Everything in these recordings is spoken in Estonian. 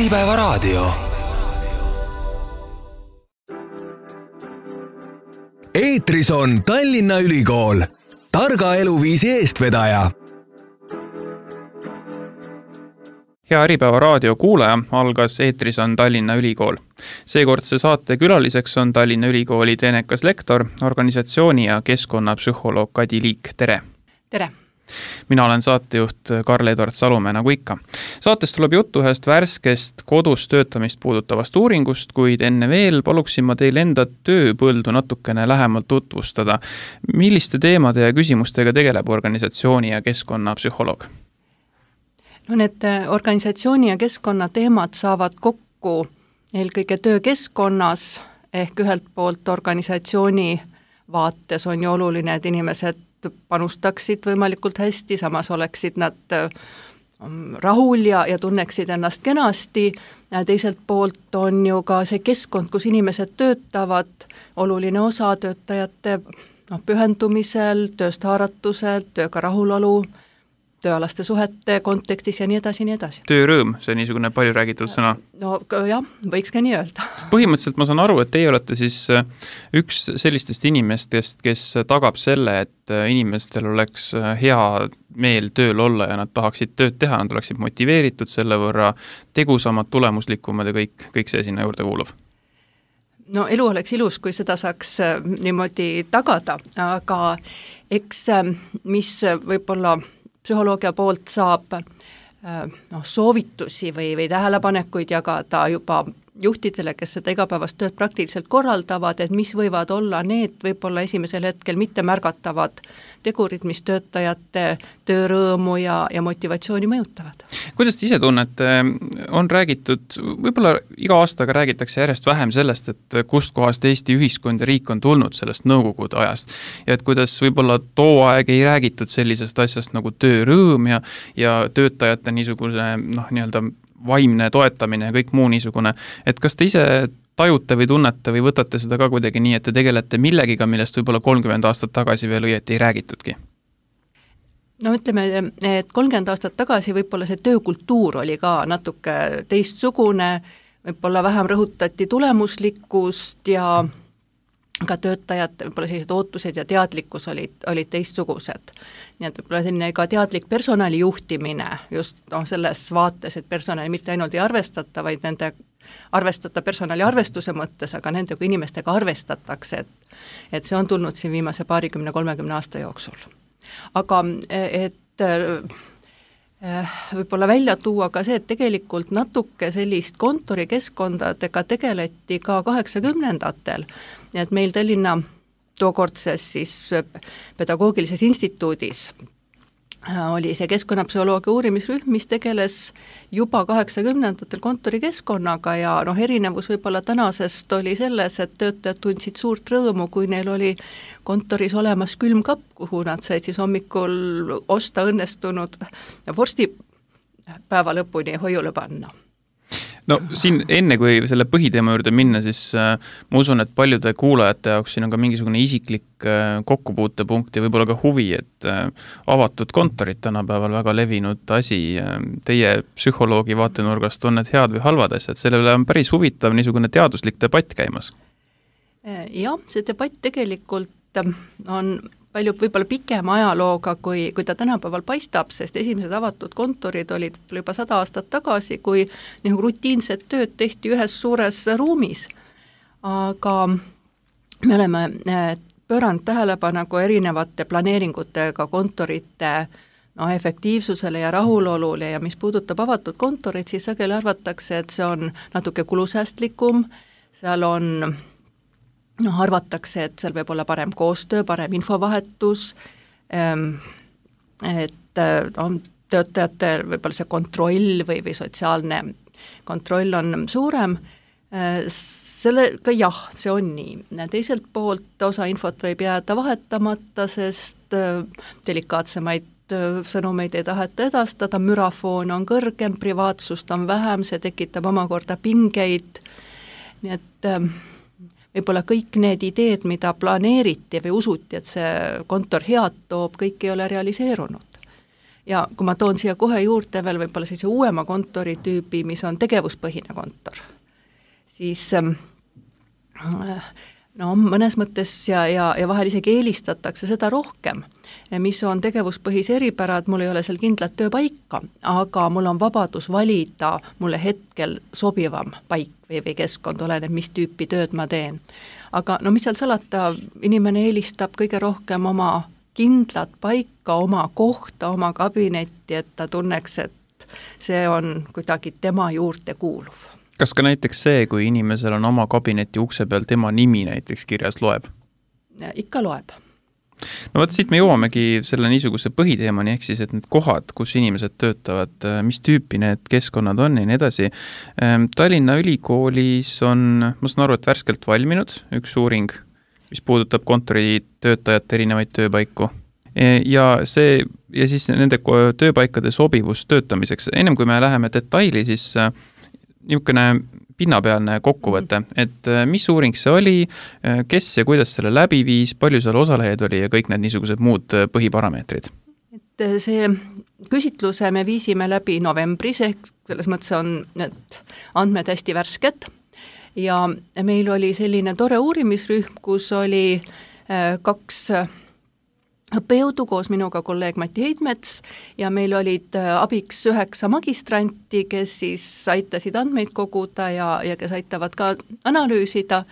Äripäevaraadio. Eetris on Tallinna Ülikool, targa eluviisi eestvedaja. Hea Äripäevaraadio kuulaja, algas Eetris on Tallinna Ülikool. Seekordse saate külaliseks on Tallinna Ülikooli teenekas lektor, organisatsiooni ja keskkonnapsühholoog Kadi Liik. Tere! Tere! Mina olen saatejuht Karl-Edward Salumäe, nagu ikka. Saates tuleb juttu ühest värskest kodus töötamist puudutavast uuringust, kuid enne veel paluksin ma teil enda tööpõldu natukene lähemalt tutvustada. Milliste teemade ja küsimustega tegeleb organisatsiooni ja keskkonnapsühholoog? No need organisatsiooni ja keskkonna teemad saavad kokku eelkõige töökeskkonnas, ehk ühelt poolt organisatsiooni vaates on ju oluline, et inimesed panustaksid võimalikult hästi, samas oleksid nad rahul ja tunneksid ennast kenasti. Teiselt poolt on ju ka see keskkond, kus inimesed töötavad, oluline osa töötajate pühendumisel, tööst haaratusel, tööga rahulolu, tööalaste suhete kontekstis ja nii edasi, nii edasi. Töörõõm, see niisugune palju räägitud sõna. No jah, võiks ka nii öelda. Põhimõtteliselt ma saan aru, et teie olete siis üks sellistest inimestest, kes tagab selle, et inimestel oleks hea meel tööl olla ja nad tahaksid tööd teha, nad oleksid motiveeritud selle võrra, tegusamad, tulemuslikumad ja kõik see sinna juurde kuulub. No elu oleks ilus, kui seda saaks niimoodi tagada, aga eks mis võib-olla psühholoogia poolt saab soovitusi või tähelepanekuid jagada juba juhtidele, kes seda igapäevast tööd praktiliselt korraldavad, et mis võivad olla need võib-olla esimesel hetkel mitte märgatavad tegurid, mis töötajate töörõõmu ja motivatsiooni mõjutavad. Kuidas te ise tunnete, on räägitud, võib-olla iga aastaga räägitakse järjest vähem sellest, et kust kohast Eesti ühiskond ja riik on tulnud sellest nõukogude ajast ja et kuidas võib-olla too aeg ei räägitud sellisest asjast nagu töörõõm ja töötajate niisugune nii-öelda vaimne toetamine ja kõik muu niisugune, et kas te ise tajute või tunnete või võtate seda ka kuidagi nii, et te tegelete millegiga, millest võib-olla 30 aastat tagasi veel õieti ei räägitudki? No ütleme, et 30 aastat tagasi võib-olla see töökultuur oli ka natuke teistsugune, võib-olla vähem rõhutati tulemuslikkust ja ka töötajad, võib-olla sellised ootused ja teadlikkus olid teistsugused. Nii et võib-olla selline ka teadlik personali juhtimine just selles vaates, et personali mitte ainult ei arvestata, vaid nende arvestata personali arvestuse mõttes, aga nende kui inimestega arvestatakse, et see on tulnud siin viimase 20-30 aasta jooksul. Aga et võib-olla välja tuua ka see, et tegelikult natuke sellist kontorikeskkondadega tegeleti ka 80-ndatel, et meil Tallinna tookordses siis pedagoogilises instituudis oli see keskkonnapsühholoogia uurimisrühm, mis tegeles juba 80-ndatel kontorikeskkonnaga ja erinevus võib-olla tänasest oli selles, et töötajad tundsid suurt rõõmu, kui neil oli kontoris olemas külmkapp, kuhu nad said siis hommikul osta õnnestunud vorsti päeva lõpuni hoiule panna. No siin enne, kui selle põhiteema juurde minna, siis ma usun, et paljude kuulajate jaoks siin on ka mingisugune isiklik kokkupuutepunkt ja võib-olla ka huvi, et avatud kontorid tänapäeval väga levinud asi. Teie psühholoogi vaatenurgast on need head või halvad asjad, selle üle on päris huvitav niisugune teaduslik debatt käimas. Jah, see debatt tegelikult on palju võib-olla pikema ajalooga, kui ta tänapäeval paistab, sest esimesed avatud kontorid olid juba 100 aastat tagasi, kui rutiinset tööd tehti ühes suures ruumis. Aga me oleme pööranud tähelepanu erinevate planeeringutega kontorite efektiivsusele ja rahulolule ja mis puudutab avatud kontorit, siis sageli arvatakse, et see on natuke kulusäästlikum, seal on arvatakse, et seal võib olla parem koostöö, parem infovahetus, et töötajatel võib-olla see kontroll või sotsiaalne kontroll on suurem. Sellega jah, see on nii. Teiselt poolt osa infot võib jääda vahetamata, sest delikaatsemaid sõnumeid ei taheta edastada, mürafoon on kõrgem, privaatsust on vähem, see tekitab omakorda pingeid, nii et võib-olla kõik need ideed, mida planeeriti või usuti, et see kontor head toob, kõik ei ole realiseerunud. Ja kui ma toon siia kohe juurde veel võib-olla sellise uuema kontoritüübi, mis on tegevuspõhine kontor, siis no mõnes mõttes ja vahel isegi eelistatakse seda rohkem, mis on tegevuspõhise eripärad, mul ei ole seal kindlat tööpaika, aga mul on vabadus valida mulle hetkel sobivam paik või keskkond, oleneb, mis tüüpi tööd ma teen. Aga no mis seal salata, inimene eelistab kõige rohkem oma kindlat paika, oma kohta, oma kabinetti, et ta tunneks, et see on kuidagi tema juurde kuuluv. Kas ka näiteks see, kui inimesel on oma kabineti ukse peal tema nimi näiteks kirjas, loeb? Ikka loeb. No võt, siit me jõuamegi selle niisuguse põhiteemani, ehk siis, et need kohad, kus inimesed töötavad, mis tüüpi need keskkonnad on ja nii edasi. Tallinna Ülikoolis on, ma saan aru, et värskelt valminud üks uuring, mis puudutab kontoritöötajate erinevaid tööpaiku. Ja siis nende tööpaikade sobivus töötamiseks. Ennem kui me läheme detaili, siis niisugune pinnapealne kokkuvõte, et mis uuring see oli, kes ja kuidas selle läbi viis, palju seal osalejaid oli ja kõik need niisugused muud põhiparameetrid? Et see küsitluse me viisime läbi novembris, ehk selles mõttes on need andmed hästi värsked ja meil oli selline tore uurimisrühm, kus oli 2 õppejõudu koos minuga kolleeg Mati Heidmets ja meil olid abiks 9 magistranti, kes siis aitasid andmeid koguda ja kes aitavad ka analüüsida.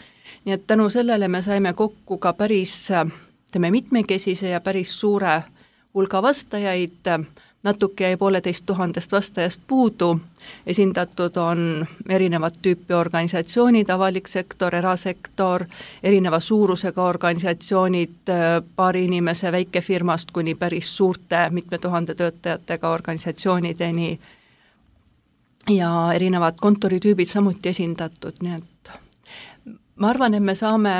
Nii et tänu sellele me saime kokku ka päris mitmekesise ja päris suure hulga vastajaid, natuke jäi 1500 vastajast puudu. Esindatud on erinevad tüüpi organisatsioonid, avalik sektor, erasektor, erineva suurusega organisatsioonid, paari inimese väikefirmast kuni päris suurte mitme tuhande töötajatega organisatsioonideni ja erinevad kontoritüübid samuti esindatud, nii et ma arvan, et me saame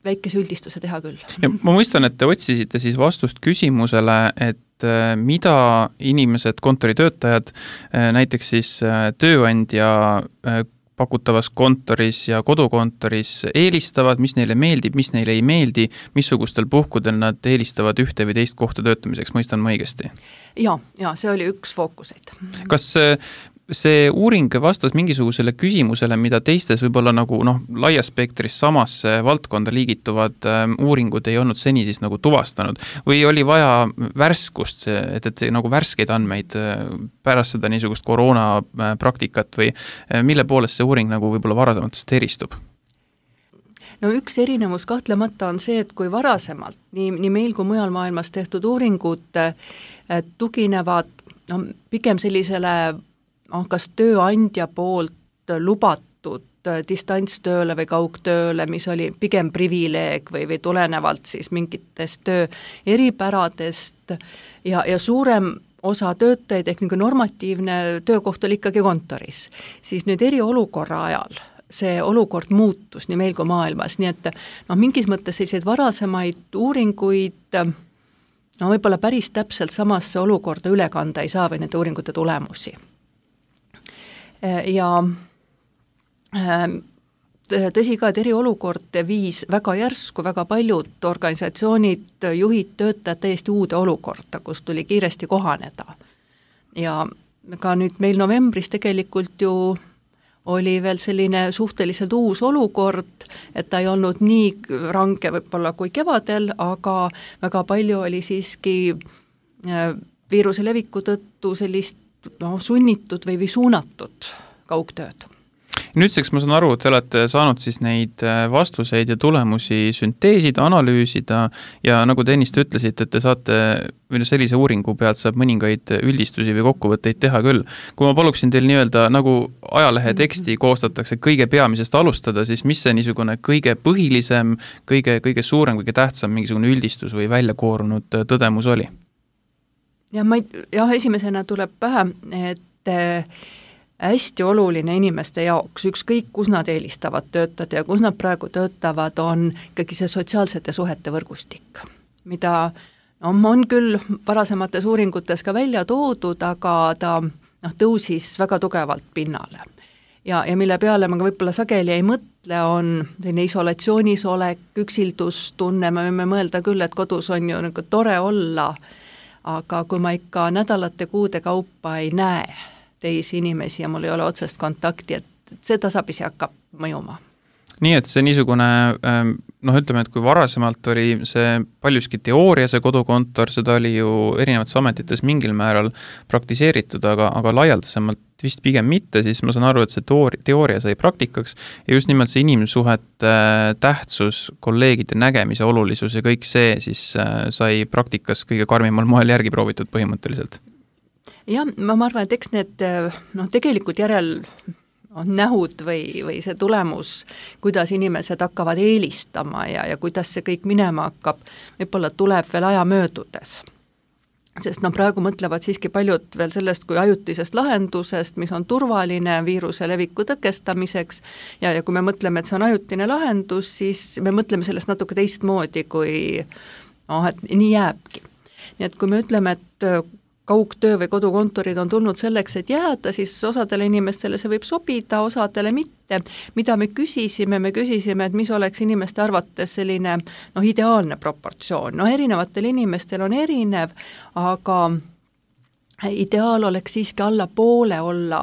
väikese üldistuse teha küll. Ja ma mõistan, et te otsisite siis vastust küsimusele, et mida inimesed, kontoritöötajad, näiteks siis tööandja pakutavas kontoris ja kodukontoris eelistavad, mis neile meeldib, mis neile ei meeldi, missugustel puhkudel nad eelistavad ühte või teist kohta töötamiseks, mõistan ma õigesti? Ja, see oli üks fookuseid. Kas see uuring vastas mingisugusele küsimusele, mida teistes võib-olla nagu laias spektris samasse valdkonda liigituvad uuringud ei olnud seni siis nagu tuvastanud või oli vaja värskust, et nagu värskeid andmeid pärast seda niisugust koroona praktikat või mille poolest see uuring nagu võib-olla varasematest eristub? No üks erinevus kahtlemata on see, et kui varasemalt nii meil kui mujal maailmas tehtud uuringud tuginevad pigem sellisele kas tööandja poolt lubatud distantstööle või kaugtööle, mis oli pigem privileeg või tulenevalt siis mingitest töö eripäradest ja suurem osa töötajaid ehk normatiivne töökoht oli ikkagi kontoris, siis nüüd eriolukorra ajal see olukord muutus nii meil kui maailmas, nii et mingis mõttes selliseid varasemaid uuringuid võib-olla päris täpselt samasse olukorda üle kanda ei saa või nende uuringute tulemusi. Ja tõsi ka, et eriolukord viis väga järsku, väga paljud organisatsioonid, juhid, töötajad täiesti uude olukorda, kus tuli kiiresti kohaneda. Ja ka nüüd meil novembris tegelikult ju oli veel selline suhteliselt uus olukord, et ta ei olnud nii range võib-olla kui kevadel, aga väga palju oli siiski viiruse leviku tõttu sellist sunnitud või suunatud kaugtööd. Nüüdseks ma saan aru, et te olete saanud siis neid vastuseid ja tulemusi sünteesida, analüüsida ja nagu te ennist ütlesite, et te saate sellise uuringu pealt saab mõningaid üldistusi või kokkuvõtteid teha küll. Kui ma paluksin teil nii-öelda nagu ajalehe teksti koostatakse kõige peamisest alustada, siis mis see niisugune kõige põhilisem, kõige suurem, kõige tähtsam mingisugune üldistus või väljakoorunud tõdemus oli? Esimesena tuleb pähe, et hästi oluline inimeste jaoks, ükskõik kus nad eelistavad töötada ja kus nad praegu töötavad, on ikkagi see sotsiaalsete suhete võrgustik, mida on küll varasemates uuringutes ka välja toodud, aga ta tõusis väga tugevalt pinnale. Ja mille peale ma võib-olla sageli ei mõtle, on selline isolatsioonis olek, üksildustunne, me võime mõelda küll, et kodus on ju tore olla, aga kui ma ikka nädalate kuude kaupa ei näe teisi inimesi ja mul ei ole otsest kontakti, et see tasapisi hakkab mõjuma. Nii et see niisugune, ütleme, et kui varasemalt oli see paljuski teooria, see kodukontor, seda oli ju erinevates ametites mingil määral praktiseeritud, aga laialdasemalt vist pigem mitte, siis ma saan aru, et see teooria sai praktikaks ja just nimelt see inimsuhete tähtsus, kolleegide nägemise olulisus ja kõik see siis sai praktikas kõige karmimal moel järgi proovitud põhimõtteliselt. Jah, ma arvan, et eks need tegelikult nähud või see tulemus, kuidas inimesed hakkavad eelistama ja kuidas see kõik minema hakkab, võib-olla tuleb veel aja möödudes. Sest praegu mõtlevad siiski paljud veel sellest kui ajutisest lahendusest, mis on turvaline viiruse leviku tõkestamiseks ja kui me mõtleme, et see on ajutine lahendus, siis me mõtleme sellest natuke teistmoodi, kui et nii jääbki. Nii et kui me ütleme, et kaugtöö või kodukontorid on tulnud selleks, et jääda, siis osadele inimestele see võib sobida, osadele mitte. Mida me küsisime, et mis oleks inimeste arvates selline ideaalne proportsioon. Erinevatel inimestel on erinev, aga ideaal oleks siiski alla poole olla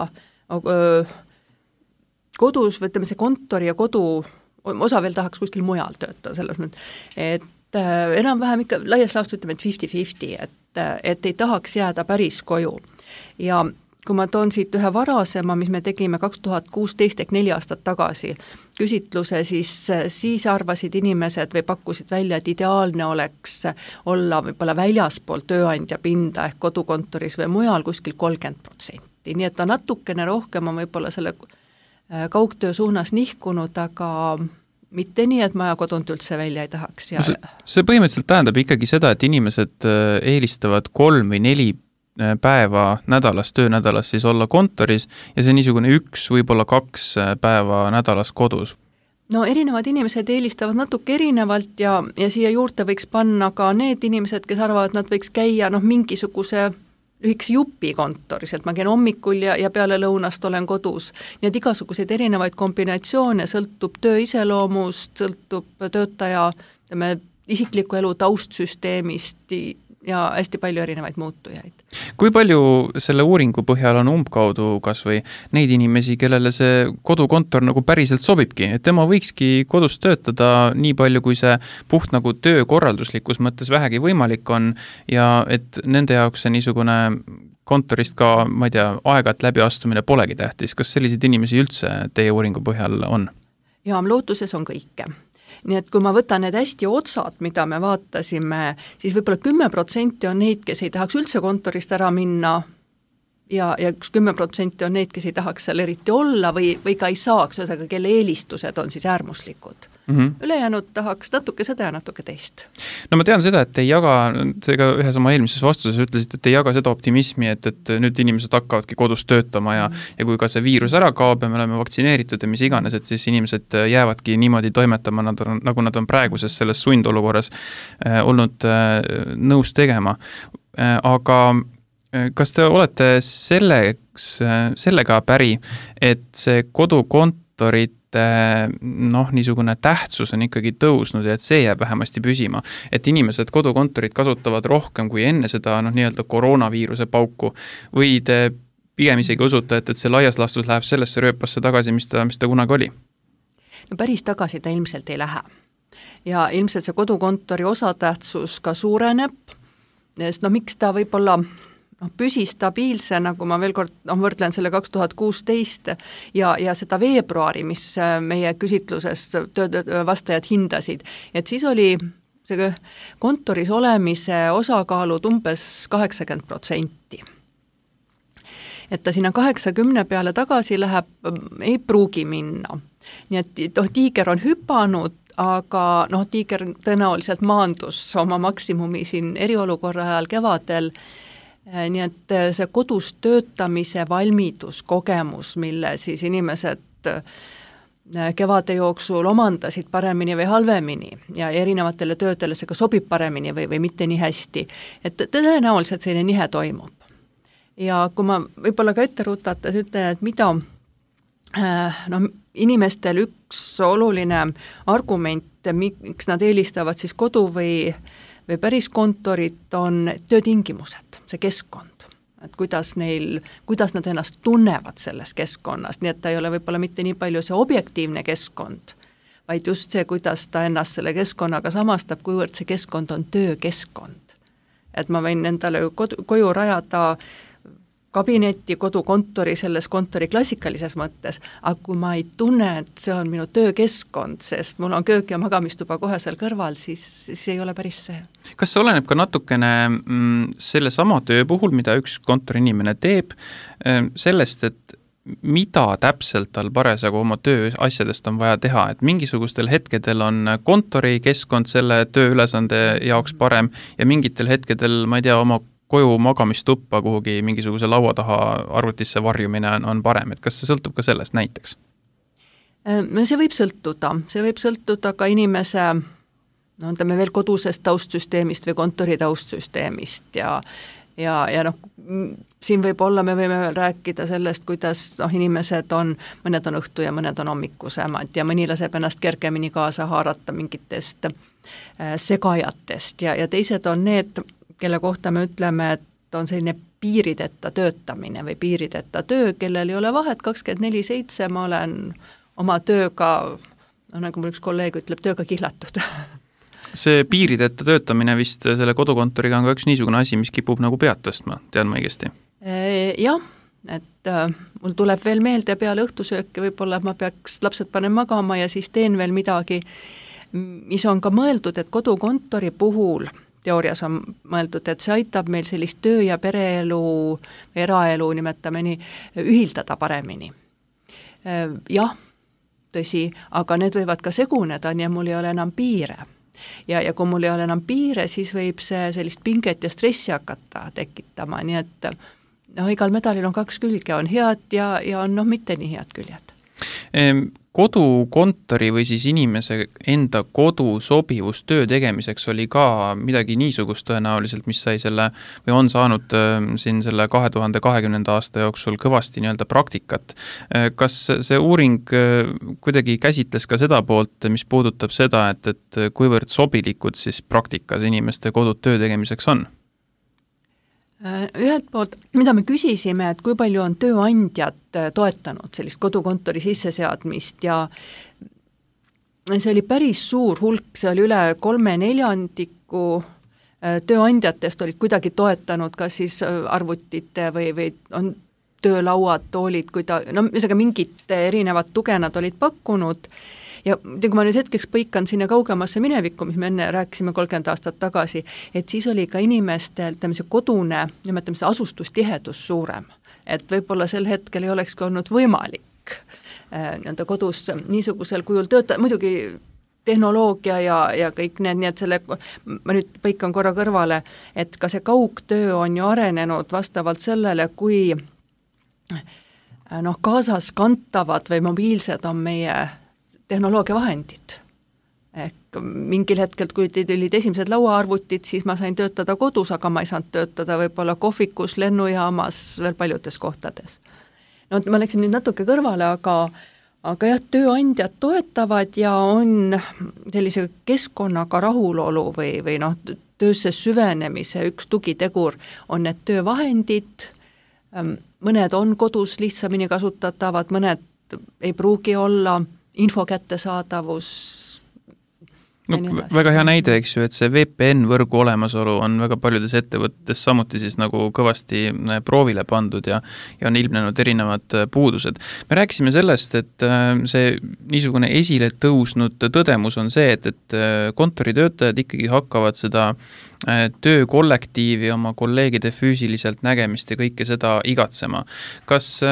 kodus, või ütleme see kontori ja kodu, osa veel tahaks kuskil mujal töötada, selles mõttes, et enam-vähem ikka laias laastus ütleme, et 50-50, et ei tahaks jääda päris koju. Ja kui ma toon siit ühe varasema, mis me tegime 2016 ehk 4 aastat tagasi küsitluse, siis arvasid inimesed või pakkusid välja, et ideaalne oleks olla võib-olla väljaspool tööandja pinda ehk kodukontoris või mujal kuskil 30%. Nii et ta natukene rohkem on võib-olla selle kaugtöö suunas nihkunud, aga mitte nii, et ma kodunt üldse välja ei tahaks. Ja see põhimõtteliselt tähendab ikkagi seda, et inimesed eelistavad 3 või 4 päeva nädalas, töönädalas siis olla kontoris ja see niisugune 1, võib-olla 2 päeva nädalas kodus. No erinevad inimesed eelistavad natuke erinevalt ja siia juurde võiks panna ka need inimesed, kes arvavad, et nad võiks käia mingisuguse lühikese jupi kontoris, et ma käin hommikul ja peale lõunast olen kodus. Nii et igasuguseid erinevaid kombinatsioone sõltub töö iseloomust, sõltub töötaja isikliku elu taustsüsteemist ja hästi palju erinevaid muutujaid. Kui palju selle uuringu põhjal on umbkaudu kas või neid inimesi, kellele see kodukontor päriselt sobibki, et tema võikski kodus töötada nii palju, kui see puht töökorralduslikus mõttes vähegi võimalik on ja et nende jaoks see niisugune kontorist ka, ma ei tea, aeg-ajalt läbiastumine polegi tähtis. Kas selliseid inimesi üldse teie uuringu põhjal on? Ja lootuses on kõike. Nii et kui ma võtan need hästi otsad, mida me vaatasime, siis võib-olla 10% on neid, kes ei tahaks üldse kontorist ära minna ja 10% on neid, kes ei tahaks seal eriti olla või ka ei saaks, kelle eelistused on siis äärmuslikud. Ülejäänud tahaks natuke seda ja natuke teist. No ma tean seda, et ei jaga, seega ühes oma eelmises vastuses ütlesid, et ei jaga seda optimismi, et nüüd inimesed hakkavadki kodus töötama ja kui ka see viirus ära kaob ja me oleme vaktsineeritud ja mis iganes, et siis inimesed jäävadki niimoodi toimetama, nagu nad on praeguses selles sundolukorras olnud nõus tegema. Aga kas te olete sellega päri, et see kodukontorit niisugune tähtsus on ikkagi tõusnud ja et see jääb vähemasti püsima, et inimesed kodukontorit kasutavad rohkem kui enne seda nii-öelda koroonaviiruse pauku või te pigem isegi usute, et see laias laastus läheb sellesse rööpasse tagasi, mis ta kunagi oli? No päris tagasi ta ilmselt ei lähe ja ilmselt see kodukontori osatähtsus ka suureneb, sest miks ta võib-olla püsi stabiilse, nagu ma veel kord võrdlen selle 2016 ja seda veebruari, mis meie küsitluses vastajad hindasid, et siis oli see kontoris olemise osakaalud umbes 80%. Et ta sinna 80 peale tagasi läheb, ei pruugi minna. Nii et tiiger on hüpanud, aga tiiger tõenäoliselt maandus oma maksimumi siin eriolukorra ajal kevadel. Nii et see kodus töötamise valmidus, kogemus, mille siis inimesed kevade jooksul omandasid paremini või halvemini ja erinevatele töödele see ka sobib paremini või mitte nii hästi, et tõenäoliselt selline nihe toimub. Ja kui ma võib-olla ka ette rutates ütlen, et mida inimestel üks oluline argument, miks nad eelistavad siis kodu või või päris kontorit, on töötingimused, see keskkond, et kuidas nad ennast tunnevad selles keskkonnas, nii et ta ei ole võib-olla mitte nii palju see objektiivne keskkond, vaid just see, kuidas ta ennast selle keskkonnaga samastab, kuivõrd see keskkond on töökeskkond. Et ma võin endale koju rajada kabinetti, kodukontori, selles kontori klassikalises mõttes, aga kui ma ei tunne, et see on minu töökeskkond, sest mul on köök ja magamistuba kohe seal kõrval, siis ei ole päris see. Kas see oleneb ka natukene selle sama töö puhul, mida üks kontoriinimene teeb, sellest, et mida täpselt tal parasjagu oma töö asjadest on vaja teha, et mingisugustel hetkedel on kontorikeskkond selle tööülesande jaoks parem ja mingitel hetkedel, ma ei tea, oma koju magamistuppa kuhugi mingisuguse laua taha arvutisse varjumine on parem, et kas see sõltub ka sellest näiteks? See võib sõltuda ka inimese, no ütleme veel kodusest taustsüsteemist või kontori taustsüsteemist ja siin võib-olla me võime rääkida sellest, kuidas inimesed on, mõned on õhtu ja mõned on hommikusemad ja mõni laseb ennast kergemini kaasa haarata mingitest segajatest ja teised on need, kelle kohta me ütleme, et on selline piirideta töötamine või piirideta töö, kellel ei ole vahet 24/7, ma olen oma tööga, nagu mul üks kolleeg ütleb, tööga kihlatud. See piirideta töötamine vist selle kodukontoriga on ka üks niisugune asi, mis kipub nagu pead tõstma, tean ma õigesti? Jah, et mul tuleb veel meelde peale õhtusööki, võib-olla ma peaks lapsed panen magama ja siis teen veel midagi, mis on ka mõeldud, et kodukontori puhul teoorias on mõeldud, et see aitab meil sellist töö- ja pereelu, eraelu, nimetame nii, ühildada paremini. Jah, tõsi, aga need võivad ka seguneda, nii mul ei ole enam piire. Ja kui mul ei ole enam piire, siis võib see sellist pinget ja stressi hakata tekitama, nii et igal medalil on kaks külge, on head ja on mitte nii head küljed. Kodukontori või siis inimese enda kodu sobivus töö tegemiseks oli ka midagi niisugust tõenäoliselt, mis sai selle või on saanud siin selle 2020. aasta jooksul kõvasti nii-öelda praktikat. Kas see uuring kuidagi käsitles ka seda poolt, mis puudutab seda, et kuivõrd sobilikud siis praktikas inimeste kodud töö tegemiseks on? Ühelt poolt, mida me küsisime, et kui palju on tööandjad toetanud sellist kodukontori sisseseadmist ja see oli päris suur hulk, see oli üle 3/4 tööandjatest olid kuidagi toetanud kas siis arvutite või on töölauad, toolid, mingit erinevat tuge nad olid pakkunud. Ja kui ma nüüd hetkeks põikan sinna kaugemasse minevikku, mis me enne rääkisime 30 aastat tagasi, et siis oli ka inimestel see kodune, nimetame see asustustihedus suurem. Et võib-olla sel hetkel ei olekski olnud võimalik kodus niisugusel kujul töötada, muidugi tehnoloogia ja kõik need, nii et ma nüüd põikan korra kõrvale, et ka see kaugtöö on ju arenenud vastavalt sellele, kui kaasas kantavad või mobiilsed on meie tehnoloogiavahendid. Ehk mingil hetkel, kui olid esimesed lauaarvutid, siis ma sain töötada kodus, aga ma ei saanud töötada võib-olla kohvikus, lennujaamas, veel paljudes kohtades. Ma läksin nüüd natuke kõrvale, aga jah, tööandjad toetavad ja on sellise keskkonnaga rahulolu või töösse süvenemise üks tugitegur on need töövahendid, mõned on kodus lihtsamini kasutatavad, mõned ei pruugi olla, info kättesaadavus. Väga hea näide, eks ju, et see VPN-võrgu olemasolu on väga paljudes ettevõttes samuti siis nagu kõvasti proovile pandud ja on ilmnenud erinevad puudused. Me rääkisime sellest, et see niisugune esile tõusnud tõdemus on see, et kontoritöötajad ikkagi hakkavad seda töökollektiivi, oma kolleegide füüsiliselt nägemist ja kõike seda igatsema. Kas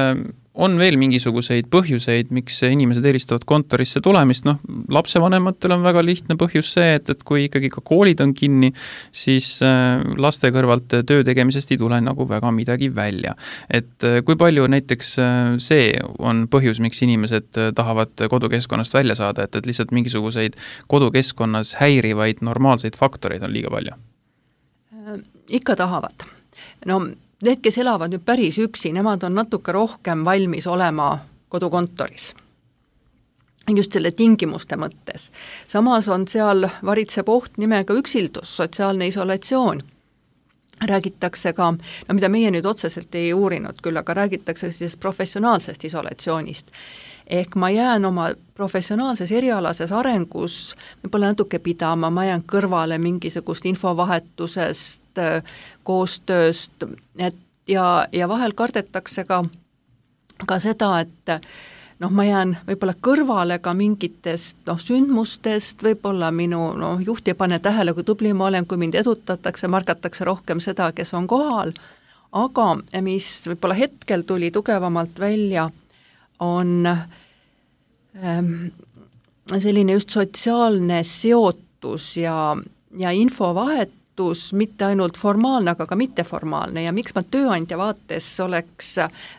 on veel mingisuguseid põhjuseid, miks inimesed eelistavad kontorisse tulemist? Lapsevanematel on väga lihtne põhjus see, et kui ikkagi ka koolid on kinni, siis laste kõrvalt töö tegemisest ei tule nagu väga midagi välja. Et kui palju näiteks see on põhjus, miks inimesed tahavad kodukeskkonnast välja saada, et lihtsalt mingisuguseid kodukeskkonnas häirivaid normaalseid faktoreid on liiga palju? Ikka tahavad. Need, kes elavad nüüd päris üksi, nemad on natuke rohkem valmis olema kodukontoris. just selle tingimuste mõttes. Samas on seal varitseb oht nimega üksildus, sotsiaalne isolatsioon. Räägitakse ka, no mida meie nüüd otseselt ei uurinud küll, aga räägitakse siis professionaalsest isolatsioonist. Ehk ma jään oma professionaalses erialases arengus võib-olla natuke pidama, ma jään kõrvale mingisugust infovahetusest, koostööst, ja vahel kardetakse ka seda, et ma jään võib-olla kõrvale ka mingitest sündmustest, võib-olla minu juht ei pane tähele, kui tubli ma olen, kui mind edutatakse, margatakse rohkem seda, kes on kohal, aga mis võib-olla hetkel tuli tugevamalt välja, on selline just sotsiaalne seotus ja infovahetus, mitte ainult formaalne, aga ka mitteformaalne ja miks ma tööandja vaates oleks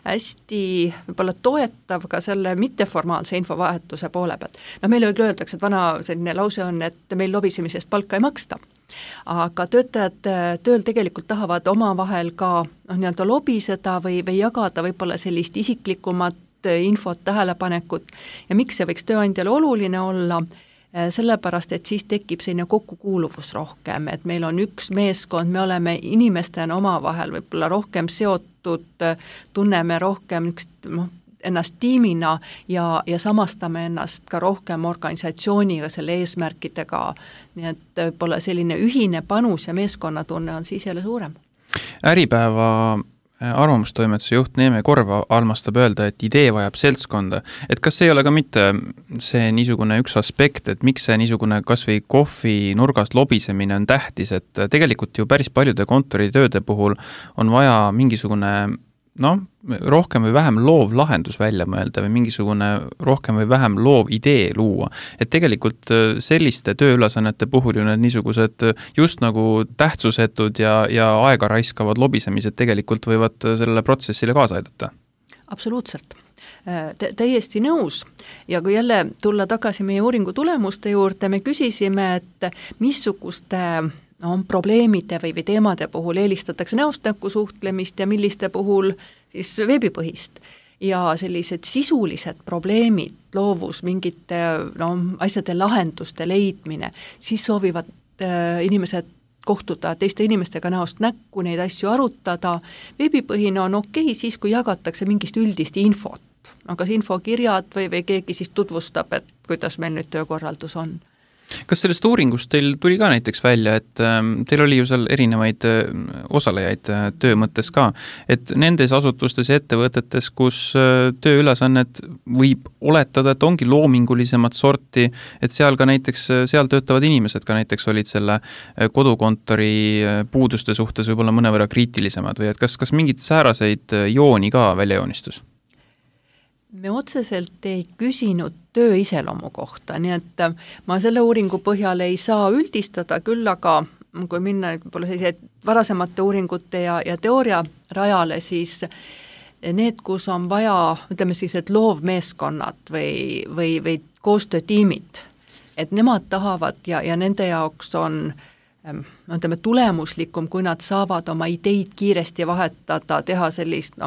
hästi võib-olla toetav ka selle mitteformaalse infovahetuse poole pealt. Meile öeldakse, et vana selline lause on, et meil lobisemisest palka ei maksta. Aga töötajad tööl tegelikult tahavad omavahel ka nii-öelda lobiseda või jagada võib-olla sellist isiklikumat infot, tähelepanekut ja miks see võiks tööandjale oluline olla, sellepärast, et siis tekib selline kokkukuuluvus rohkem, et meil on üks meeskond, me oleme inimestena omavahel võib-olla rohkem seotud, tunneme rohkem ennast tiimina ja samastame ennast ka rohkem organisatsiooniga, selle eesmärkidega, nii et võib-olla selline ühine panus ja meeskonnatunne on siis jälle suurem. Äripäeva arvamustoimetuse juht Neeme Korva armastab öelda, et idee vajab seltskonda. Et kas ei ole ka mitte see niisugune üks aspekt, et miks see niisugune kas või kohvi nurgast lobisemine on tähtis, et tegelikult ju päris paljude kontoritööde puhul on vaja mingisugune rohkem või vähem loov lahendus välja mõelda või mingisugune rohkem või vähem loov idee luua. Et tegelikult selliste tööülesannete puhul ju need niisugused just nagu tähtsusetud ja aega raiskavad lobisemised tegelikult võivad sellele protsessile kaasa aidata. Absoluutselt. Täiesti nõus. Ja kui jälle tulla tagasi meie uuringu tulemuste juurde, me küsisime, et missuguste probleemide või teemade puhul eelistatakse näost näkku suhtlemist ja milliste puhul siis veebipõhist. Ja sellised sisulised probleemid, loovus, mingite asjade lahenduste leidmine, siis soovivad inimesed kohtuda teiste inimestega näost näkku, neid asju arutada. Veebipõhine on okei siis, kui jagatakse mingist üldist infot. Kas infokirjad või keegi siis tutvustab, et kuidas meil nüüd töökorraldus on. Kas sellest uuringust teil tuli ka näiteks välja, et teil oli ju seal erinevaid osalejaid töö mõttes ka, et nendes asutustes ja ettevõtetes, kus tööülesannet võib oletada, et ongi loomingulisemat sorti, et seal ka näiteks, seal töötavad inimesed ka näiteks olid selle kodukontori puuduste suhtes võib-olla mõnevõrra kriitilisemad või et kas mingid sääraseid jooni ka välja joonistus? Me otseselt ei küsinud töö iseloomu kohta, nii et ma selle uuringu põhjal ei saa üldistada, küll aga kui minna sellised varasemate uuringute ja teooria rajale, siis need, kus on vaja, ütleme siis, et loovmeeskonnad või koostöötiimid, et nemad tahavad ja nende jaoks on tulemuslikum, kui nad saavad oma ideid kiiresti vahetada, teha sellist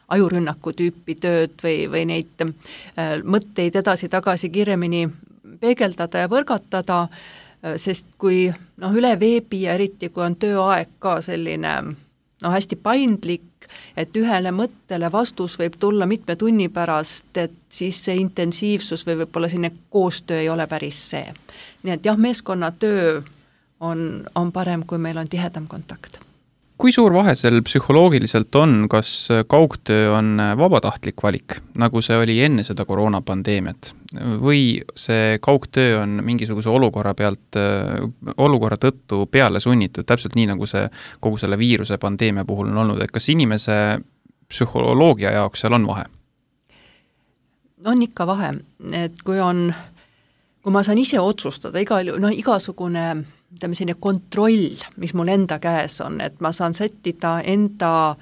ajurünnaku tüüpi tööd või neid mõtteid edasi-tagasi kiiremini peegeldada ja võrgatada, sest kui üle veebi ja eriti kui on tööaeg ka selline hästi paindlik, et ühele mõttele vastus võib tulla mitme tunni pärast, et siis see intensiivsus või võib-olla selline koostöö ei ole päris see. Nii et jah, meeskonnatöö on parem, kui meil on tihedam kontakt. Kui suur vahe seal psühholoogiliselt on, kas kaugtöö on vabatahtlik valik, nagu see oli enne seda koroonapandeemiat, või see kaugtöö on mingisuguse olukorra tõttu peale sunnitud, täpselt nii nagu see kogu selle viiruse pandeemia puhul on olnud, et kas inimese psühholoogia jaoks seal on vahe? On ikka vahe, et kui ma saan ise otsustada, igasugune selline kontroll, mis mul enda käes on, et ma saan sättida enda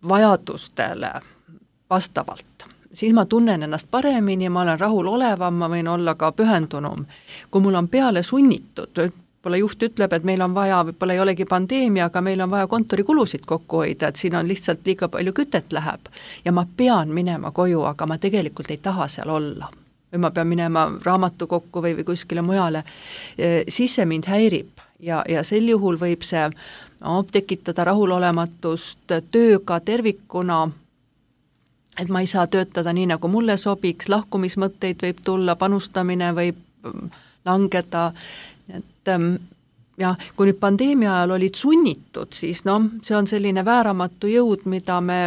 vajadustele vastavalt, siis ma tunnen ennast paremini, ma olen rahul olevam, ma võin olla ka pühendunum. Kui mul on peale sunnitud, võib-olla juht ütleb, et meil on vaja, võib-olla ei olegi pandeemia, aga meil on vaja kontorikulusid kokku hoida, et siin on lihtsalt liiga palju kütet läheb ja ma pean minema koju, aga ma tegelikult ei taha seal olla. Või ma pean minema raamatukokku või kuskile mujale, siis see mind häirib ja sel juhul võib see tekitada rahulolematust tööga tervikuna, et ma ei saa töötada nii, nagu mulle sobiks, lahkumismõtteid võib tulla, panustamine võib langeda, et kui nüüd pandeemia ajal olid sunnitud, siis see on selline vääramatu jõud, mida me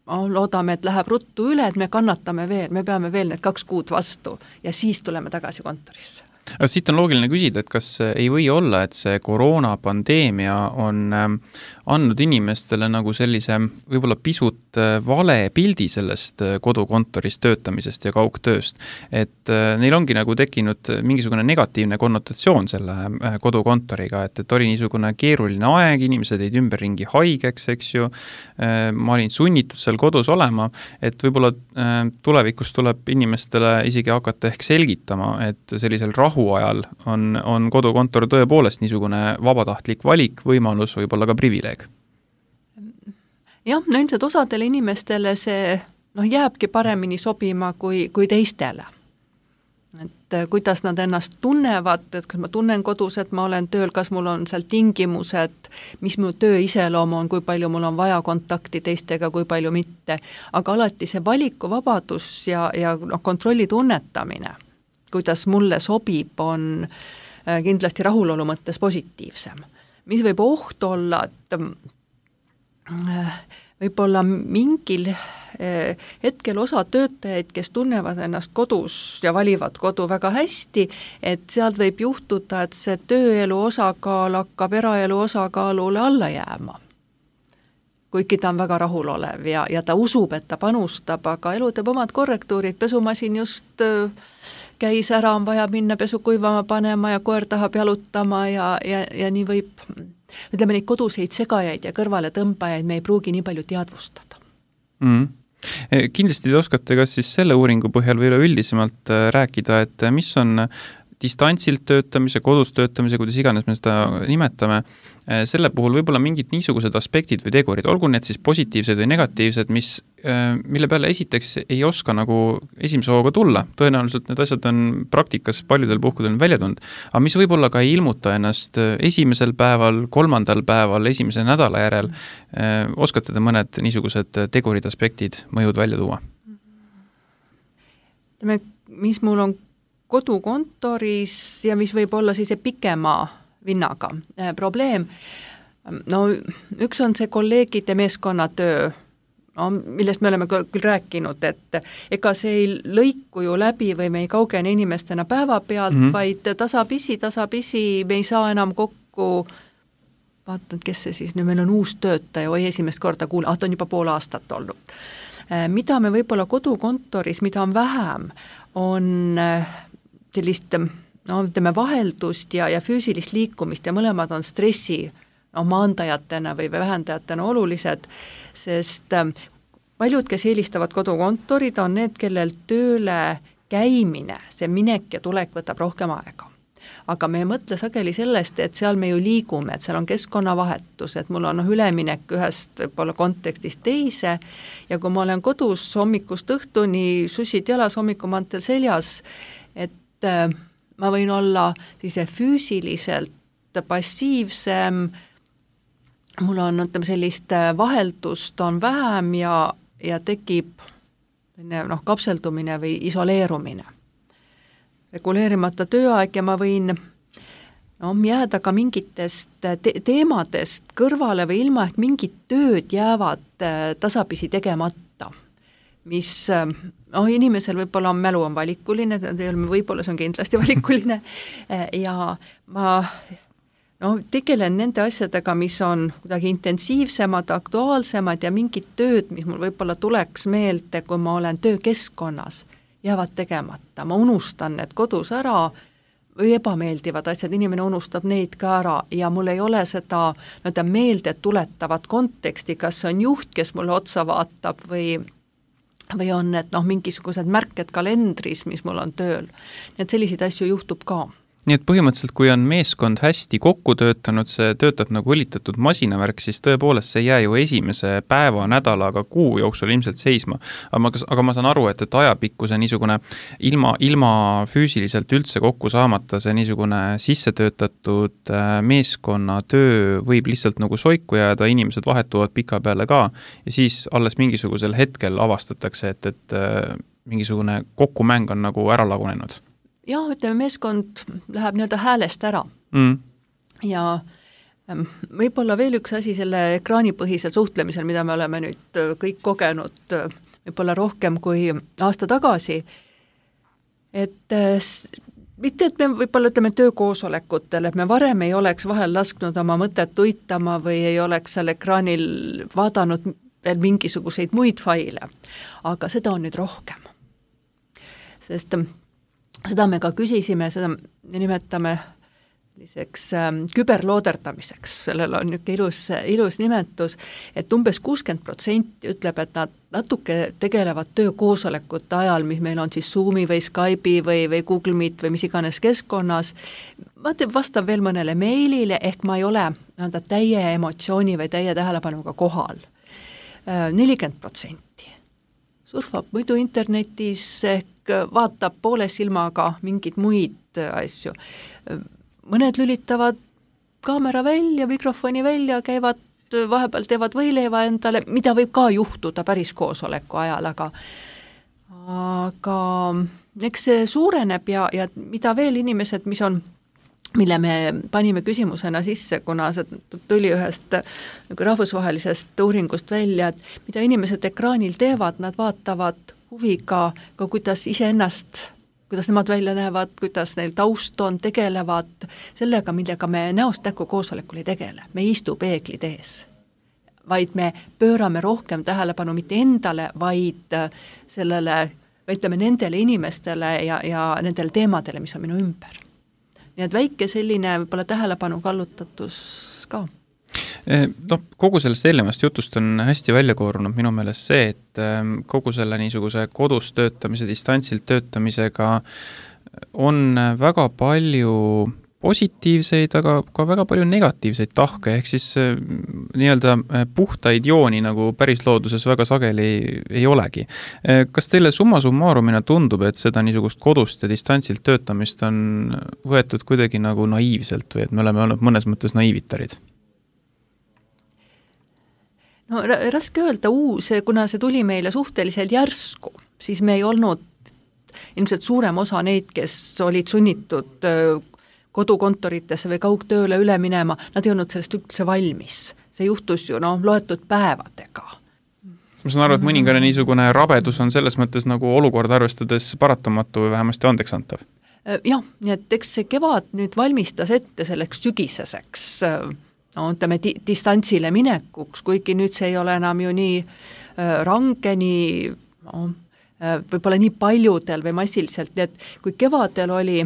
loodame, et läheb ruttu üle, et me kannatame veel, me peame veel need 2 kuud vastu ja siis tuleme tagasi kontorisse. Aga siit on loogiline küsida, et kas ei või olla, et see koroonapandeemia on andnud inimestele nagu sellise võib-olla pisut vale pildi sellest kodukontoris töötamisest ja kaugtööst, et neil ongi nagu tekkinud mingisugune negatiivne konnotatsioon selle kodukontoriga, et oli niisugune keeruline aeg, inimesed jäid ümberringi haigeks, eks ju, ma olin sunnitud seal kodus olema, et võib-olla tulevikus tuleb inimestele isegi hakata ehk selgitama, et sellisel rahu ajal on kodukontor tõepoolest niisugune vabatahtlik valik, võimalus, võib-olla ka privileeg. Jah, ilmselt osadele inimestele see jääbki paremini sobima kui teistele. Et kuidas nad ennast tunnevad, et kas ma tunnen kodus, et ma olen tööl, kas mul on seal tingimused, mis mu töö iseloom on, kui palju mul on vaja kontakti teistega, kui palju mitte. Aga alati see valikuvabadus ja kontrolli tunnetamine, kuidas mulle sobib, on kindlasti rahulolu mõttes positiivsem. Mis võib oht olla, et võib-olla mingil hetkel osa töötajaid, kes tunnevad ennast kodus ja valivad kodu väga hästi, et sealt võib juhtuda, et see tööelu osakaal hakkab eraelu osakaalule alla jääma. Kuigi ta on väga rahulolev ja ta usub, et ta panustab, aga elu teeb omad korrektuurid, pesumasin just käis ära, on vaja minna pesu kuivama panema ja koer tahab jalutama ja nii võib, ütleme neid koduseid segajaid ja kõrvale tõmbajaid me ei pruugi nii palju teadvustada. Kindlasti te oskate kas siis selle uuringu põhjal või üleüldisemalt rääkida, et mis on distantsilt töötamise, kodus töötamise, kuidas iganes me seda nimetame, selle puhul võib-olla mingid niisugused aspektid või tegurid, olgu need siis positiivsed või negatiivsed, mille peale esiteks ei oska nagu esimese hooga tulla. Tõenäoliselt need asjad on praktikas paljudel puhkudel välja tulnud, aga mis võib-olla ka ei ilmuta ennast esimesel päeval, 3. päeval, esimese nädala järel. Oskate te mõned niisugused tegurid, aspektid, mõjud välja tuua? Mis mul on kodukontoris ja mis võib olla siis pikema vinnaga probleem. Üks on see kolleegide meeskonnatöö, millest me oleme küll rääkinud, et ega see ei lõiku ju läbi või me ei kaugene inimestena päeva pealt, vaid tasapisi me ei saa enam kokku, vaatan, kes see siis, nüüd meil on uus töötaja, esimest korda ta on juba pool aastat olnud. Mida me võib-olla kodukontoris, mida on vähem, on sellist vaheldust ja füüsilist liikumist ja mõlemad on stressi maandajatena või vähendajatena olulised, sest paljud, kes eelistavad kodukontorid, on need, kellel tööle käimine, see minek ja tulek võtab rohkem aega. Aga me ei mõtle sageli sellest, et seal me ju liigume, et seal on keskkonnavahetus, et mul on üleminek ühest võib-olla kontekstist teise ja kui ma olen kodus hommikust õhtuni, sussid jalas, hommikumantel seljas, et ma võin olla siis füüsiliselt passiivsem, mul on sellist vaheldust on vähem ja tekib kapseldumine või isoleerumine. Reguleerimata tööaeg ja ma võin jääda ka mingitest teemadest kõrvale või ilma, et mingid tööd jäävad tasapisi tegemata, mis inimesel võib-olla mälu on valikuline, võib-olla see on kindlasti valikuline ja ma tegelen nende asjadega, mis on kuidagi intensiivsemad, aktuaalsemad ja mingid tööd, mis mul võib-olla tuleks meelde, kui ma olen töökeskkonnas, jäävad tegemata. Ma unustan need kodus ära või ebameeldivad asjad, inimene unustab neid ka ära ja mul ei ole seda meelde tuletavat konteksti, kas on juht, kes mulle otsa vaatab või on need mingisugused märked kalendris, mis mul on tööl. Nii et selliseid asju juhtub ka. Nii et põhimõtteliselt, kui on meeskond hästi kokku töötanud, see töötab nagu õlitatud masinavärk, siis tõepoolest see ei jää ju esimese päeva, nädalaga, kuu jooksul ilmselt seisma. Aga ma saan aru, et ajapikku see niisugune ilma füüsiliselt üldse kokku saamata, see niisugune sissetöötatud meeskonna töö võib lihtsalt nagu soiku jääda, inimesed vahetuvad pika peale ka ja siis alles mingisugusel hetkel avastatakse, et mingisugune kokkumäng on nagu ära lagunenud. Jah, ütleme, meeskond läheb nii-öelda häälest ära. Ja võib-olla veel üks asi selle ekraanipõhisel suhtlemisel, mida me oleme nüüd kõik kogenud võib-olla rohkem kui aasta tagasi, et mitte, et me võib-olla ütleme töökoosolekutel, et me varem ei oleks vahel lasknud oma mõtet uitama või ei oleks seal ekraanil vaadanud veel mingisuguseid muid faile, aga seda on nüüd rohkem. Sest seda me ka küsisime, seda me nimetame küberlooderdamiseks, sellel on niisugune ilus nimetus, et umbes 60% ütleb, et nad natuke tegelevad töökoosolekute ajal, mis meil on siis Zoomi või Skype'i või Google Meet või mis iganes keskkonnas, vastab veel mõnele meilile, ehk ma ei ole täie emotsiooni või täie tähelepanuga kohal. 40% surfab muidu internetis ehk vaatab poole silmaga mingid muid asju. Mõned lülitavad kaamera välja, mikrofoni välja, käivad vahepeal, teevad võileiva endale, mida võib ka juhtuda päris koosoleku ajal, aga eks see suureneb ja mida veel inimesed, mille me panime küsimusena sisse, kuna see tuli ühest rahvusvahelisest uuringust välja, et mida inimesed ekraanil teevad, nad vaatavad huviga ka kuidas iseennast, kuidas nemad välja näevad, kuidas neil taust on, tegelevad sellega, millega me näost näkku koosolekul ei tegele. Me ei istu peeglid ees, vaid me pöörame rohkem tähelepanu mitte endale, vaid ütleme nendele inimestele ja nendele teemadele, mis on minu ümber. Nii et väike selline võib-olla tähelepanu kallutatus ka. Kogu sellest eelnevast jutust on hästi välja koorunud minu meelest see, et kogu selle niisuguse kodus töötamise, distantsilt töötamisega on väga palju positiivseid, aga ka väga palju negatiivseid tahke, ehk siis nii-öelda puhtaid jooni nagu päris looduses väga sageli ei olegi. Kas teile summa summarumina tundub, et seda niisugust kodust ja distantsilt töötamist on võetud kuidagi nagu naiivselt või et me oleme olnud mõnes mõttes naiivitarid? No raske öelda kuna see tuli meile suhteliselt järsku, siis me ei olnud ilmselt suurem osa neid, kes olid sunnitud kodukontoritesse või kaugtööle üle minema, nad ei olnud sellest üldse valmis. See juhtus ju loetud päevadega. Ma saan aru, et mõningane niisugune rabedus on selles mõttes nagu olukord arvestades paratamatu või vähemasti andeksantav. Jah, nii et eks see kevad nüüd valmistas ette selleks sügiseseks ütleme distantsile minekuks, kuigi nüüd see ei ole enam ju nii range, võib-olla nii paljudel või massiliselt, nii et kui kevadel oli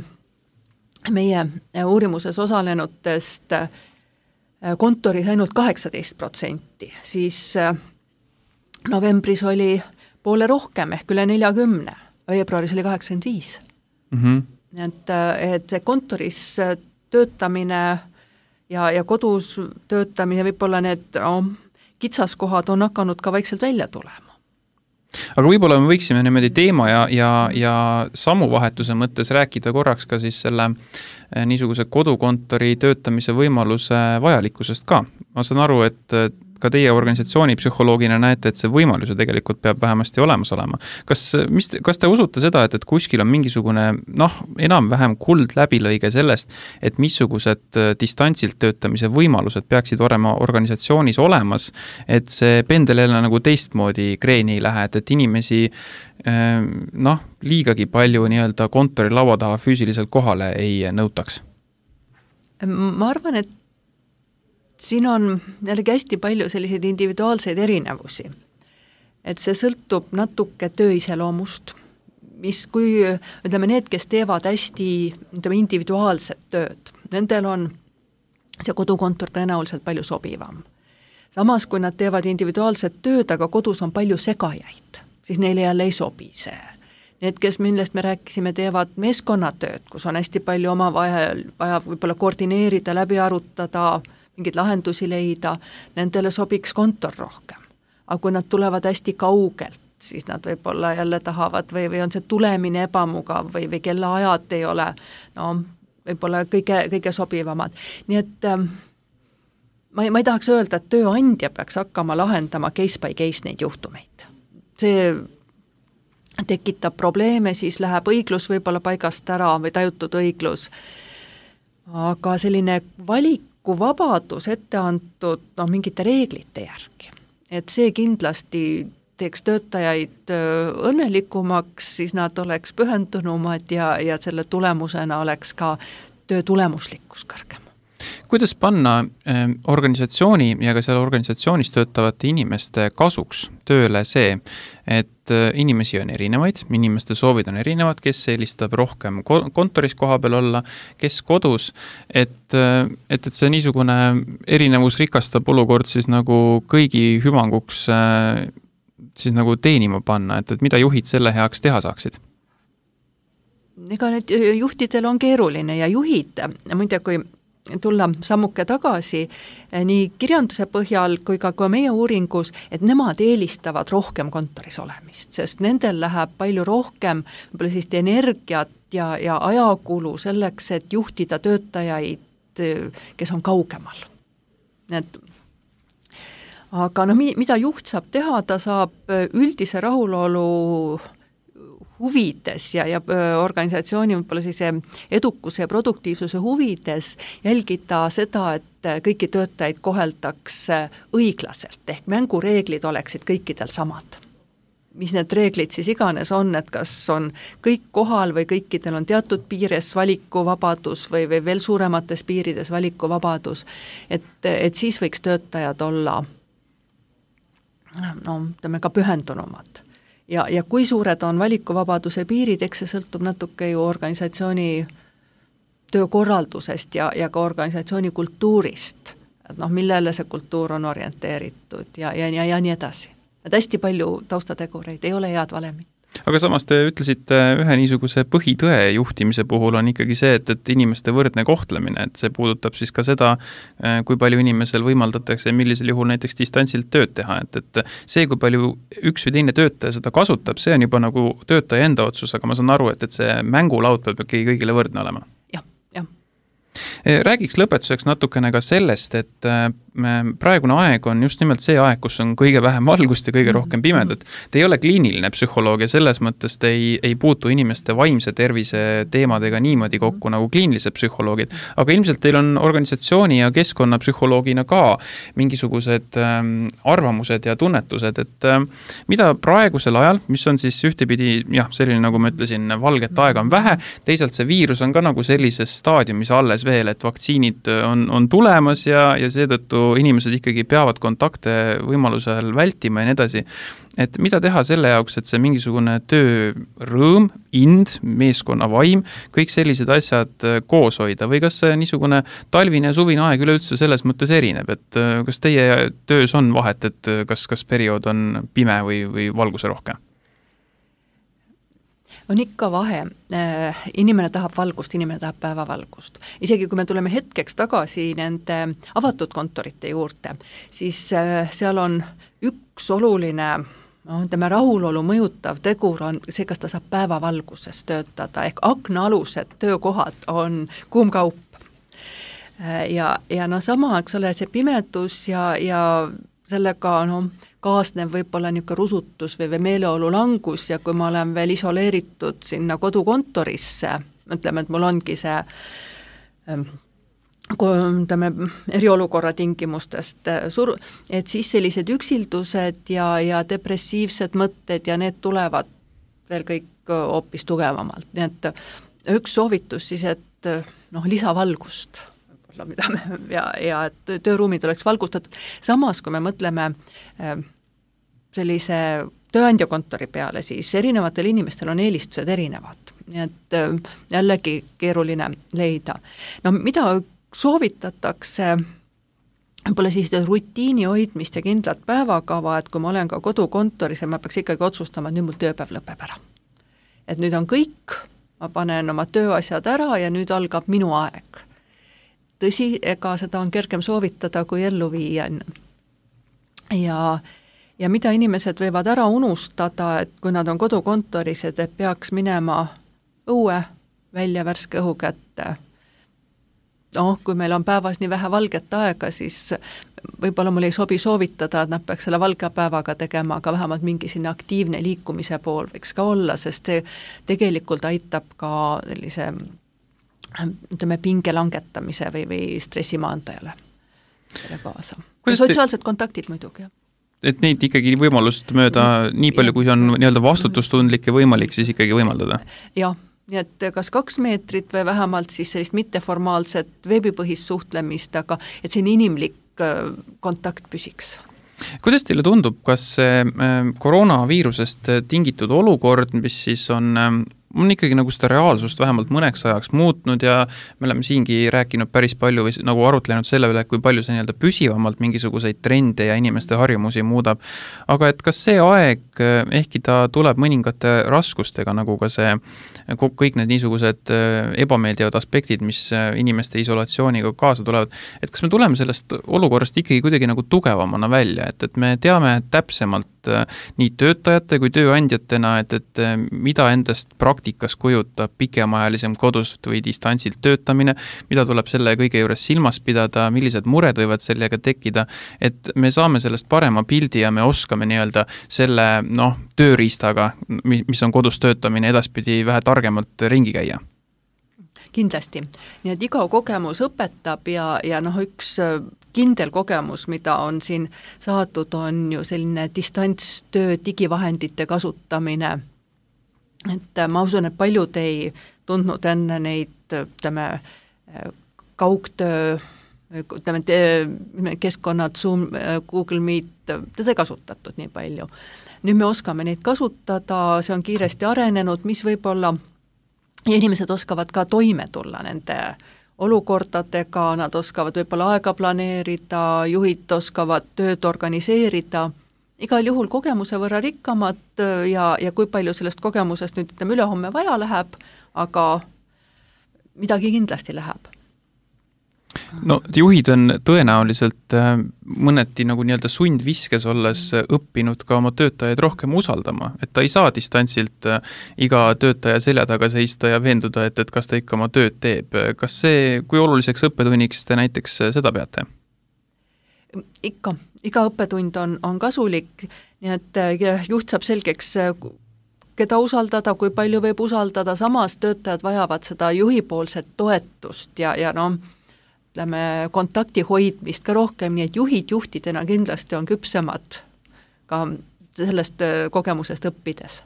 meie uurimuses osalenutest kontoris ainult 18%, siis novembris oli poole rohkem ehk üle 40, veebruaris oli 85. Et see kontoris töötamine ja kodus töötamine, võib-olla need kitsaskohad on hakanud ka vaikselt välja tulema. Aga võib-olla me võiksime niimoodi teema ja sammuvahetuse mõttes rääkida korraks ka siis selle niisuguse kodukontori töötamise võimaluse vajalikkusest ka. Ma saan aru, et ka teie organisatsiooni psühholoogina näete, et see võimalus tegelikult peab vähemasti olemas olema. Kas te usute seda, et kuskil on mingisugune enam-vähem kuld läbilõige sellest, et missugused distantsilt töötamise võimalused peaksid olema organisatsioonis olemas, et see pendel jälle nagu teistmoodi kreeni ei lähe, et inimesi liigagi palju nii-öelda kontori laua taha füüsiliselt kohale ei nõutaks? Ma arvan, et siin on jällegi hästi palju selliseid individuaalseid erinevusi. Et see sõltub natuke töö iseloomust, kui ütleme need, kes teevad hästi individuaalset tööd, nendel on see kodukontor tõenäoliselt palju sobivam. Samas, kui nad teevad individuaalset tööd, aga kodus on palju segajaid, siis neile jälle ei sobi see. need, kes, millest me rääkisime, teevad meeskonnatööd, kus on hästi palju omavahel vaja võib-olla koordineerida, läbi arutada, mingeid lahendusi leida, nendele sobiks kontor rohkem. Aga kui nad tulevad hästi kaugelt, siis nad võib-olla jälle tahavad või on see tulemine ebamugav või kellaajad ei ole, no võib-olla kõige sobivamad. Nii et ma ei tahaks öelda, et tööandja peaks hakkama lahendama case by case neid juhtumeid. See tekitab probleeme, siis läheb õiglus võib-olla paigast ära või tajutud õiglus. Aga selline valikuvabadus ette antud mingite reeglite järgi. Et see kindlasti teeks töötajaid õnnelikumaks, siis nad oleks pühendunumad ja selle tulemusena oleks ka töö tulemuslikkus kõrgem. Kuidas panna organisatsiooni ja ka selle organisatsioonis töötavate inimeste kasuks tööle see, et inimesi on erinevaid, inimeste soovid on erinevad, kes eelistab rohkem kontoris koha peal olla, kes kodus, et see niisugune erinevus rikastab olukord siis nagu kõigi hüvanguks siis nagu teenima panna, et mida juhid selle heaks teha saaksid? Ega need juhtidel on keeruline ja juhid, muide kui tulla sammuke tagasi nii kirjanduse põhjal kui ka meie uuringus, et nemad eelistavad rohkem kontoris olemist, sest nendel läheb palju rohkem võib-olla sellist energiat ja ajakulu selleks, et juhtida töötajaid, kes on kaugemal. Aga mida juht saab teha, ta saab üldise rahulolu huvides ja organisatsiooni võib-olla siis edukuse ja produktiivsuse huvides jälgida seda, et kõiki töötajaid koheldaks õiglaselt, ehk mängureeglid oleksid kõikidel samad. Mis need reeglid siis iganes on, et kas on kõik kohal või kõikidel on teatud piires valikuvabadus või veel suuremates piirides valikuvabadus, et siis võiks töötajad olla ka pühendunumad. Ja kui suured on valikuvabaduse piirid, eks see sõltub natuke ju organisatsiooni töökorraldusest ja ka organisatsiooni kultuurist, et millele see kultuur on orienteeritud ja nii edasi. Et hästi palju taustategureid, ei ole head valemit. Aga samas te ütlesite ühe niisuguse põhitõe juhtimise puhul on ikkagi see, et inimeste võrdne kohtlemine, et see puudutab siis ka seda, kui palju inimesel võimaldatakse, millisel juhul näiteks distantsilt tööd teha, et see, kui palju üks või teine töötaja seda kasutab, see on juba nagu töötaja enda otsus, aga ma saan aru, et see mängulaud peab kõigile võrdne olema. Räägiks lõpetuseks natukene ka sellest, et praegune aeg on just nimelt see aeg, kus on kõige vähem valgust ja kõige rohkem pimedat. Te ei ole kliiniline psühholoog ja selles mõttes te ei puutu inimeste vaimse tervise teemadega niimoodi kokku nagu kliinilised psühholoogid, aga ilmselt teil on organisatsiooni ja keskkonnapsühholoogina ka mingisugused arvamused ja tunnetused, et mida praegusel ajal, mis on siis ühtepidi, selline nagu ma ütlesin, valget aega on vähe, teisalt see viirus on ka nagu sellises staadiumis alles veel, et vaktsiinid on tulemas ja seetõttu inimesed ikkagi peavad kontakte võimalusel vältima ja nii edasi. Et mida teha selle jaoks, et see mingisugune töörõõm, ind, meeskonna vaim, kõik sellised asjad koos hoida või kas see niisugune talvine ja suvine aeg üleüldse selles mõttes erineb, et kas teie töös on vahet, et kas periood on pime või valguse rohkem? On ikka vahe. Inimene tahab valgust, inimene tahab päevavalgust. Isegi kui me tuleme hetkeks tagasi nende avatud kontorite juurde, siis seal on üks oluline rahulolu mõjutav tegur on see, kas ta saab päevavalguses töötada, ehk aknaalused töökohad on kuum kaup. Ja sama, eks ole, see pimedus ja sellega kaasnev võib-olla niisugune rusutus või meeleolu langus ja kui ma olen veel isoleeritud sinna kodukontorisse, ütleme, et mul ongi see eriolukorra tingimustest et siis sellised üksildused ja depressiivsed mõtted ja need tulevad veel kõik hoopis tugevamalt. Nii et üks soovitus siis, et lisavalgust ja tööruumid oleks valgustatud. Samas, kui me mõtleme sellise tööandjakontori peale, siis erinevatel inimestel on eelistused erinevad. Nii et jällegi keeruline leida. Mida soovitatakse, võib-olla siis rutiini hoidmist ja kindlat päevakava, et kui ma olen ka kodukontoris ja ma peaks ikkagi otsustama, et nüüd mul tööpäev lõpeb ära. et nüüd on kõik, ma panen oma tööasjad ära ja nüüd algab minu aeg. Tõsi, ega seda on kergem soovitada kui ellu viia. Ja mida inimesed võivad ära unustada, et kui nad on kodukontoris, et peaks minema õue välja värske õhu kätte. Kui meil on päevas nii vähe valget aega, siis võib-olla mul ei sobi soovitada, et nad peaks selle valge päevaga tegema, aga vähemalt mingi sinna aktiivne liikumise pool võiks ka olla, sest see tegelikult aitab ka sellise, ütleme, pinge langetamise või stressimaandajale selle kaasa. Sotsiaalsed kontaktid muidugi, jah. Et neid ikkagi võimalust mööda nii palju, kui on nii-öelda vastutustundlik ja võimalik, siis ikkagi võimaldada? Jah. Nii et kas 2 meetrit või vähemalt siis sellist mitteformaalset veebipõhist suhtlemist, aga et siin inimlik kontakt püsiks. Kuidas teile tundub, kas see koroonaviirusest tingitud olukord, mis siis on ikkagi nagu seda reaalsust vähemalt mõneks ajaks muutnud ja me oleme siingi rääkinud päris palju või nagu arutlenud selle üle, kui palju see nii-öelda püsivamalt mingisuguseid trende ja inimeste harjumusi muudab. Aga et kas see aeg, ehkki ta tuleb mõningate raskustega, nagu ka see kõik need niisugused ebameeldivad aspektid, mis inimeste isolatsiooniga kaasa tulevad, et kas me tuleme sellest olukorrast ikkagi kuidagi nagu tugevamana välja, et me teame täpsemalt nii töötajate kui tööandjatena, et mida endast praktikas kujutab pikemaajalisem kodust või distantsilt töötamine, mida tuleb selle kõige juures silmas pidada, millised mured võivad sellega tekkida, et me saame sellest parema pildi ja me oskame nii-öelda selle tööriistaga, mis on kodus töötamine, edaspidi vähe targemalt ringi käia. Kindlasti. Nii et iga kogemus õpetab ja üks kindel kogemus, mida on siin saadud, on ju selline distantstöö digivahendite kasutamine. Et ma usun, et paljud ei tundnud enne neid kaugtöö keskkonnad, Zoom, Google Meet, teda ei kasutatud nii palju. Nüüd me oskame neid kasutada, see on kiiresti arenenud, mis võib-olla ja inimesed oskavad ka toime tulla nende olukordadega, nad oskavad võib-olla aega planeerida, juhid oskavad tööd organiseerida, igal juhul kogemuse võrra rikkamad ja kui palju sellest kogemusest nüüd ülehomme vaja läheb, aga midagi kindlasti läheb. No juhid on tõenäoliselt mõneti nagu nii-öelda sundviskes olles õppinud ka oma töötajaid rohkem usaldama, et ta ei saa distantsilt iga töötaja selja taga seista ja veenduda, et kas ta ikka oma tööd teeb. Kas see, kui oluliseks õppetunniks te näiteks seda peate? Iga õppetund on kasulik, nii et juht saab selgeks, keda usaldada, kui palju võib usaldada, samas töötajad vajavad seda juhipoolset toetust ja kontakti hoidmist ka rohkem, nii et juhid juhtidena kindlasti on küpsemad ka sellest kogemusest õppides.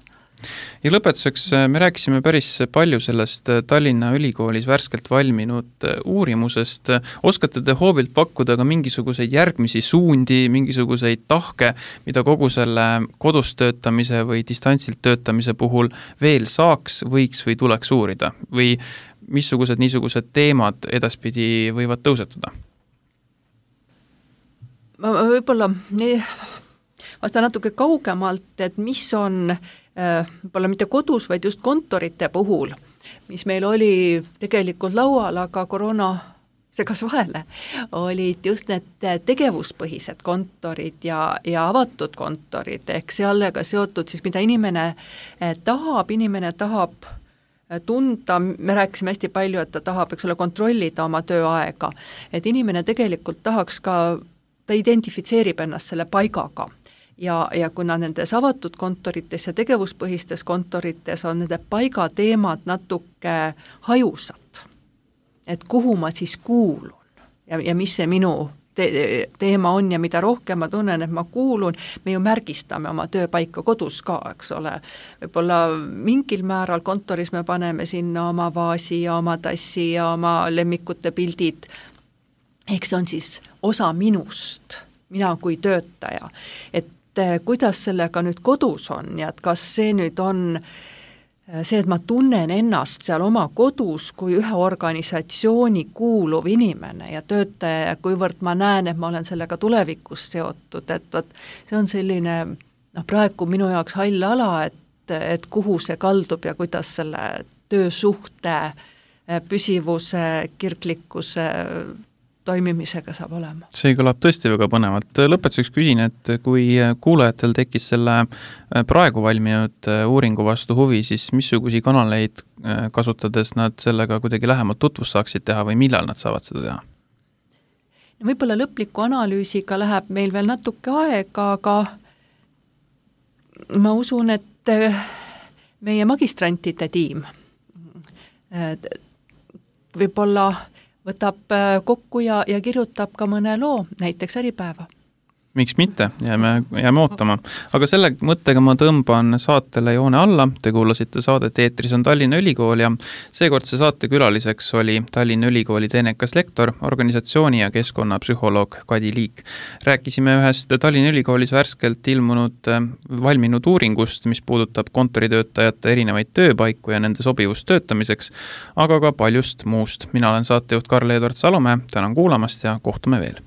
Ja lõpetuseks me rääkisime päris palju sellest Tallinna Ülikoolis värskelt valminud uurimusest. Oskate te hoobilt pakkuda ka mingisuguseid järgmisi suundi, mingisuguseid tahke, mida kogu selle kodus töötamise või distantsilt töötamise puhul veel saaks, võiks või tuleks uurida? Või missugused niisugused teemad edaspidi võivad tõusetuda? Ma võib-olla vastan natuke kaugemalt, et mis on võib-olla mitte kodus, vaid just kontorite puhul, mis meil oli tegelikult laual, aga koroona segas vahele, olid just need tegevuspõhised kontorid ja avatud kontorid, ehk sellega seotud siis, mida inimene tahab tunda, me rääkisime hästi palju, et ta tahab, kontrollida oma tööaega, et inimene tegelikult tahaks ka, ta identifitseerib ennast selle paigaga ja kuna nendes avatud kontorites ja tegevuspõhistes kontorites on nende paigateemad natuke hajusad, et kuhu ma siis kuulun ja mis see minu teema on ja mida rohkem ma tunnen, et ma kuulun, me ju märgistame oma tööpaika kodus ka, eks ole. Võib-olla mingil määral kontoris me paneme sinna oma vaasi ja oma tassi ja oma lemmikute pildid. Ehk see on siis osa minust, mina kui töötaja. Et kuidas sellega nüüd kodus on ja et kas see nüüd on see, et ma tunnen ennast seal oma kodus kui ühe organisatsiooni kuuluv inimene ja töötaja ja kuivõrd ma näen, et ma olen sellega tulevikus seotud, et see on selline praegu minu jaoks hall ala, et et kuhu see kaldub ja kuidas selle töösuhte püsivuse, kirglikkuse toimimisega saab olema. See kõlab tõesti väga põnevalt. Lõpetuseks küsin, et kui kuulajatel tekkis selle praegu valminud uuringu vastu huvi, siis missugusi kanaleid kasutades nad sellega kuidagi lähemalt tutvust saaksid teha või millal nad saavad seda teha? Võib-olla lõpliku analüüsiga läheb meil veel natuke aega, aga ma usun, et meie magistrantide tiim võib-olla võtab kokku ja kirjutab ka mõne loo, näiteks Äripäeva. Miks mitte, jääme ootama. Aga selle mõttega ma tõmban saatele joone alla. Te kuulasite saadet Eetris on Tallinna Ülikool ja seekordse saate külaliseks oli Tallinna Ülikooli teenekas lektor, organisatsiooni ja keskkonnapsühholoog Kadi Liik. Rääkisime ühest Tallinna Ülikoolis värskelt valminud uuringust, mis puudutab kontoritöötajate erinevaid tööpaiku ja nende sobivust töötamiseks, aga ka paljust muust. Mina olen saatejuht Karl-Edward Salomäe, tänan kuulamast ja kohtume veel.